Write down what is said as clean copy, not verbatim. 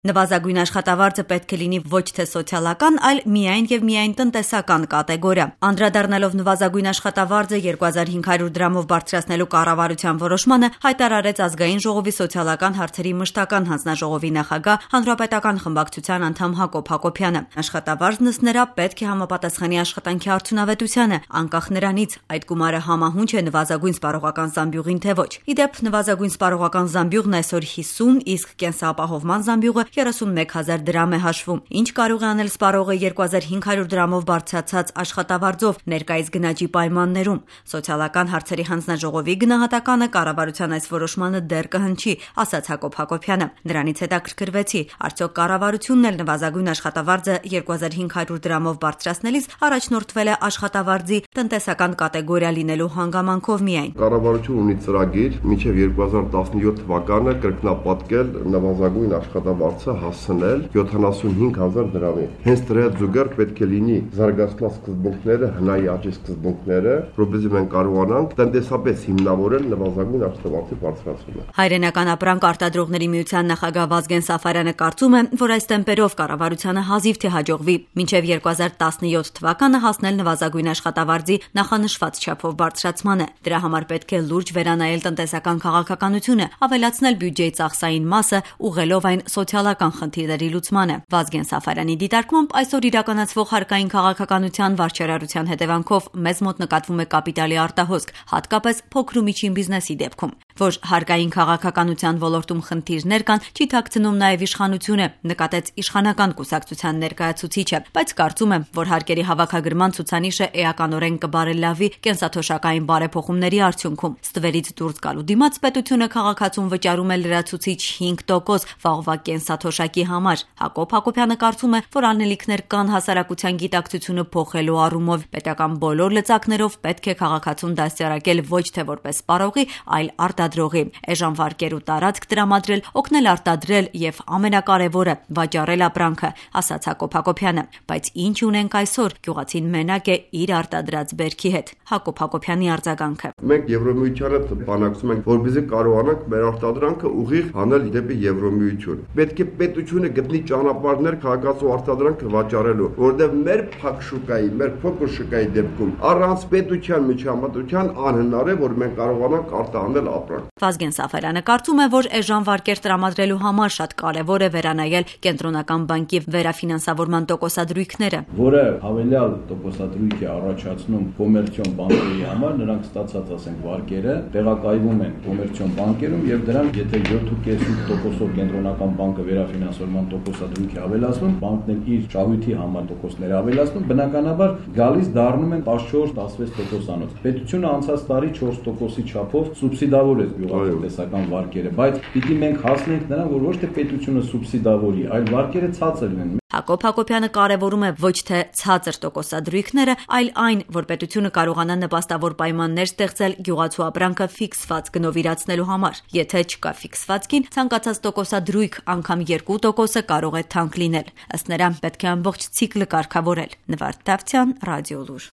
Նվազագույն աշխատավարձը պետք է լինի ոչ թե սոցիալական, այլ միայն եւ միայն տնտեսական կատեգորիա։ Անդրադառնալով նվազագույն աշխատավարձը 2500 դրամով բարձրացնելու կառավարության որոշմանը, հայտարարեց Ազգային ժողովի սոցիալական հարցերի մշտական հանձնաժողովի նախագահ Հանրապետական խմբակցության անդամ Հակոբ Հակոբյանը։ Աշխատավարձն ըստ նրա պետք է համապատասխանի աշխատանքի արդյունավետությանը, անկախ նրանից այդ գումարը համահունչ է նվազագույն սպառողական զամբյուղին թե ոչ։ Ի դեպ, նվազագույն սպառողական զամբյուղն այսօր 50, իսկ կենսապահովման զամբյուղը 31,000 դրամ է հաշվում։ Ինչ կարող է անել սպառողը 2500 դրամով բարձրացած աշխատավարձով ներկայիս գնաճի պայմաններում։ Սոցիալական հարցերի հանձնաժողովի գնահատականը կառավարության այս որոշմանը դեռ կհնչի, ասաց Հակոբ Հակոբյանը։ Դրանից հետաքրքրվեցի, արդյոք կառավարությունն էլ նվազագույն աշխատավարձը 2500 դրամով բարձրացնելիս առաջնորդվել է աշխատավարձի տնտեսական կատեգորիա լինելու հանգամանքով միայն։ Կառավարությունը ունի ծրագիր մինչև 2017 թվականը կրկնապատկել նվազագույն աշխատավարձը հասցնել 75,000 դրամի։ Հենց դրա զուգահեռ պետք է լինի զարգացման սկզբունքները, հնայի աճի սկզբունքները, որովհետեւ մենք կարողանանք տնտեսապես հիմնավորել նվազագույն աշխատավարձի բարձրացումը։ Հայրենական ապրանք արտադրողների միության նախագահ Վազգեն Սաֆարյանը կարծում է, որ այս տեմպերով կառավարությանը հազիվ թե հաջողվի մինչև 2017 թվականը հասնել նվազագույն աշխատավարձի նախանշված չափով բարձրացմանը։ Դրա համար պետք է լուրջ վերանայել տնտեսական քաղաքականությունը, ավելացնել բյուջեի ծախսային մասը, ուղղելով այն սոցիալական խնդիրների լուծմանը։ Վազգեն Սաֆարյանի դիտարկմամբ այսօր իրականացվող հարկային քաղաքականության վարչարարության հետևանքով մեզ մոտ նկատվում է կապիտալի արտահոսք, հատկապես փոքր ու միջին բիզնեսի դեպքում։ Որ հարկային քաղաքականության ոլորտում խնդիրներ կան, չի թաքցնում նաև իշխանությունը, նկատեց իշխանական կուսակցության ներկայացուցիչը, բայց կարծում եմ, որ հարկերի հավաքագրման ցուցանիշը էականորեն կբարելավի կենսաթոշակային բարեփոխումների արդյունքում։ Ստվերից դուրս գալու դիմաց պետությունը քաղաքացուն վճարում է լրացուցիչ 5% վաղվա կենսաթոշակի համար։ Հակոբ Հակոբյանը կարծում է, որ անելիքներ կան հասարակության գիտակցությունը փոխելու առումով։ Պետական բոլոր լծակներով պետք է քաղաքացուն դաստիարակել ոչ թե որպես սպառողի, այլ արտադրողի, էժան վարկեր ու տարածք տրամադրել, օգնել արտադրել եւ ամենակարևորը վաճառել ապրանքը, ասաց Հակոբ Հակոբյանը։ Բայց ինչ ունենք այսօր, գյուղացին մենակ է իր արտադրած բերքի հետ։ Հակոբ Հակոբյանի արձագանքը։ Մենք Եվրոմիությանը բանակցում ենք, որպեսզի կարողանանք մեր արտադրանքը ուղիղ հանել դեպի Եվրոմիություն։ Պետք է պետությունը գտնի ճանապարհներ քաղաքացու արտադրանքը վաճառելու, որովհետև մեր փակ շուկայի, մեր փոքր շուկայի դեպքում առանց պետության միջամտության անհնար է, որ մենք կարողանանք արտահանել ապրանք։ Վազգեն Սաֆարյանը կարծում է, որ էժան վարկեր տրամադրելու համար շատ կարևոր է վերանայել կենտրոնական բանկի վերաֆինանսավորման տոկոսադրույքները, որը հավելյալ տոկոսադրույք է առաջացնում կոմերցիոն բանկերի համար, նրանք ստացած ասենք վարկերը տեղակայվում են կոմերցիոն բանկերում եւ դրանք եթե 7.5%-ով կենտրոնական բանկը վերաֆինանսավորման տոկոսադրույք է ավելացնում, բանկն էլ իր շահույթի համար տոկոսներ ավելացնում, բնականաբար գալիս դառնում են 14-16%-անոց։ Պետությունը անցած տարի 4%-ի չափով սուբսիդավորեց գյուղատնտեսական վարկերը, բայց պիտի մենք հասնենք նրան, որ ոչ թե պետությունը սուբսիդավորի, այլ վարկերը ցածր լինեն։ Հակոբ Հակոբյանը կարևորում է ոչ թե ցածր տոկոսադրույքները, այլ այն, որ պետությունը կարողանա նպաստավոր պայմաններ ստեղծել գյուղացու ապրանքը ֆիքսված գնով իրացնելու համար։ Եթե չկա ֆիքսված գին, ցանկացած տոկոսադրույք, անգամ 2% կարող է թանկ լինել։ Ըստ նրա, պետք է ամբողջ ցիկլը կարգավորել։ Նվարդ Դավթյան, Ռադիոլուր։